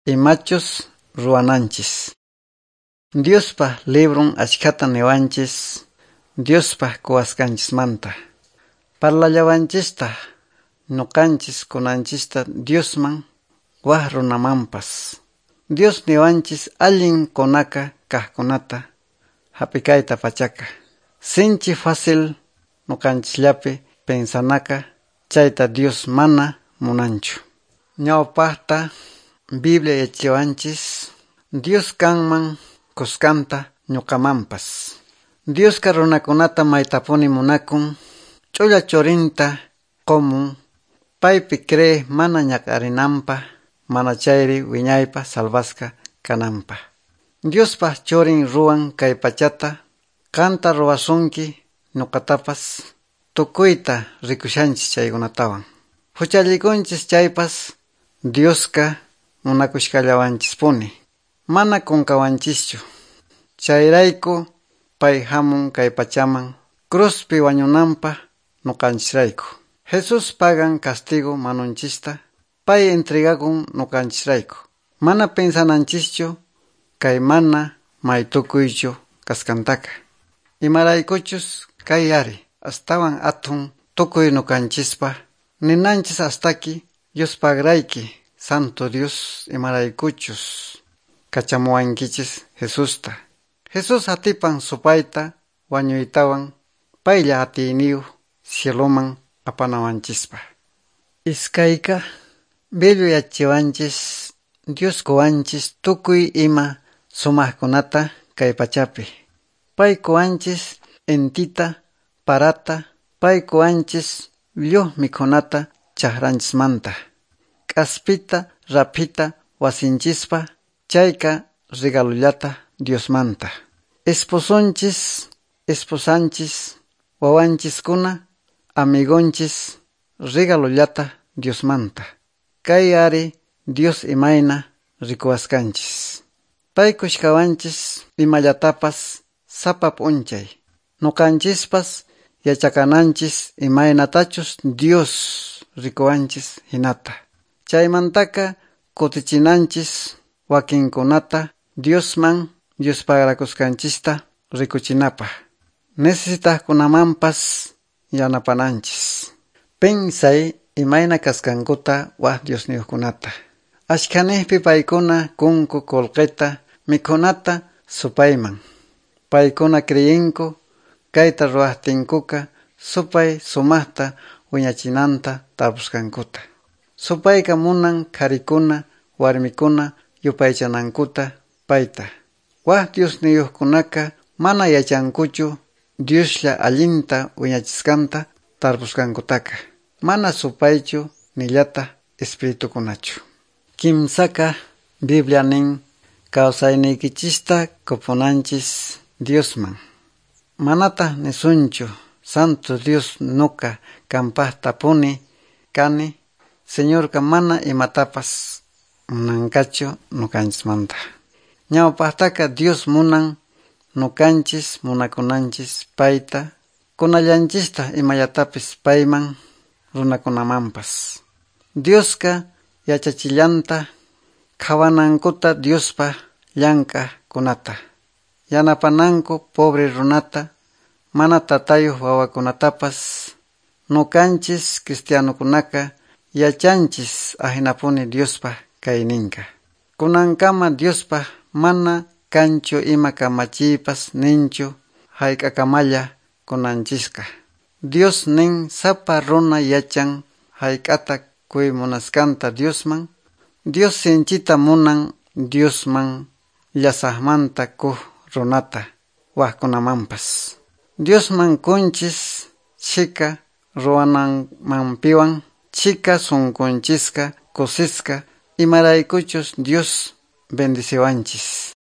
Imachus ruwananchis. Diospa libron achkhata niwanchis Diospa quwasqanchismanta. Parlallawanchista nuqanchis kunanchista Diosman waj runamanpas. Dios niwanchis allin kunaka kaqkunata hap'ikayta pachaka. Sinchi fácil nuqanchisllapi pensanaka chayta Dios mana munanchu. Ñawpaqta Biblia yachachiwanchis Dios kanman kuskanta ñuqamanpas. Diosqa runakunata maytapuni munakun ch'ulla churinta qumun paypi cree mana ñak'arinanpaq mana chayri wiñaypaq salvasqa kananpaq. Diospa churin ruwan kay pachata qanta ruwasunki ñuqatapas tukuyta rikushanchis chaykunatawan. Huchallikunchis chaypas Diosqa munakushkallawanchispuni mana qunqawanchischu. Chayrayku pay hamun kay pachaman cruzpi wañunanpaq nuqanchisrayku. Jesús pagan castigo manunchista pay entregakun nuqanchisrayku. Mana pensananchischu kay mana maytukuychu kasqantaka. Imaraykuchus kay ari astawan athun tukuy nuqanchispa ninanchis astaki Diospaqrayki Santo Dios imaraykuchus kachamuwankichis Jesusta. Jesús atipan supayta wañuytawan paylla atiyniyuq cieloman apanawanchispaq. Iskayqa Biblia yachachiwanchis Dios quwanchis tukuy ima sumaqkunata kay pachapi. Pay quwanchis intita, parata, pay quwanchis lliw mikhunata chakranchismanta. K'aspita, raphita wasinchispa chayqa regalullata Diosmanta. Esposonchis, esposanchis, wawanchiskuna, amigonchis, regalullata Diosmanta. Kay ari Dios imayna rikuwasqanchis. Pay kushkawanchis imallatapas sapa p'unchay. Nuqanchispas yachakananchis imaynatachus Dios rikuwanchis hinata. Chaymantaka kutichinanchis wakinkunata Diosman Diospaqrakusqanchista rikuchinapaq. Necesitaqkunamanpas yanapananchis. Pensay imayna kasqankuta waj Diosniyuqkunata. Ashkhaniqpi paykuna kunku qullqita mikhunata supayman. Paykuna creyinku kayta ruwaqtinkuqa supay sumaqta wiñachinanta tarpusqankuta. Supayqa munan qharikuna warmikuna yupaychanankuta payta. Waj Diosniyuqkunaqa mana yachankuchu Dioslla allinta wiñachisqanta tarpusqankutaqa. Mana supaychu nillataq espiritukunachu. Kimsaka Biblia nin kawsayniykichista qupunanchis Diosman. Manataq nisunchu Santo Dios nuqa qampaqtapuni kani Señorqa mana imatapas munanqachu nuqanchismanta. Ñawpaqtaqa Dios munan nuqanchis munakunanchis payta kunallanchista imallatapis payman runakunamanpas. Diosqa yachachillanta qhawanankuta Diospa llank'aqkunata. Yanapananku pobre runata mana tatayuq wawakunatapas nuqanchis cristianokunaqa yachanchis ahinapuni Diospa kayninqa. Kunankama Diospa mana kanchu ima kamachiypas ninchu hayk'akamalla kunanchisqa. Dios nin sapa runa yachan hayk'ata quy munasqanta Diosman. Dios sinchita munan Diosman llasaqmanta kuq runata wajkunamanpas. Diosman kunchis chhika ruwananmanpiwan chhika sunqunchisqa kusisqa imaraykuchus Dios bendiciwanchis.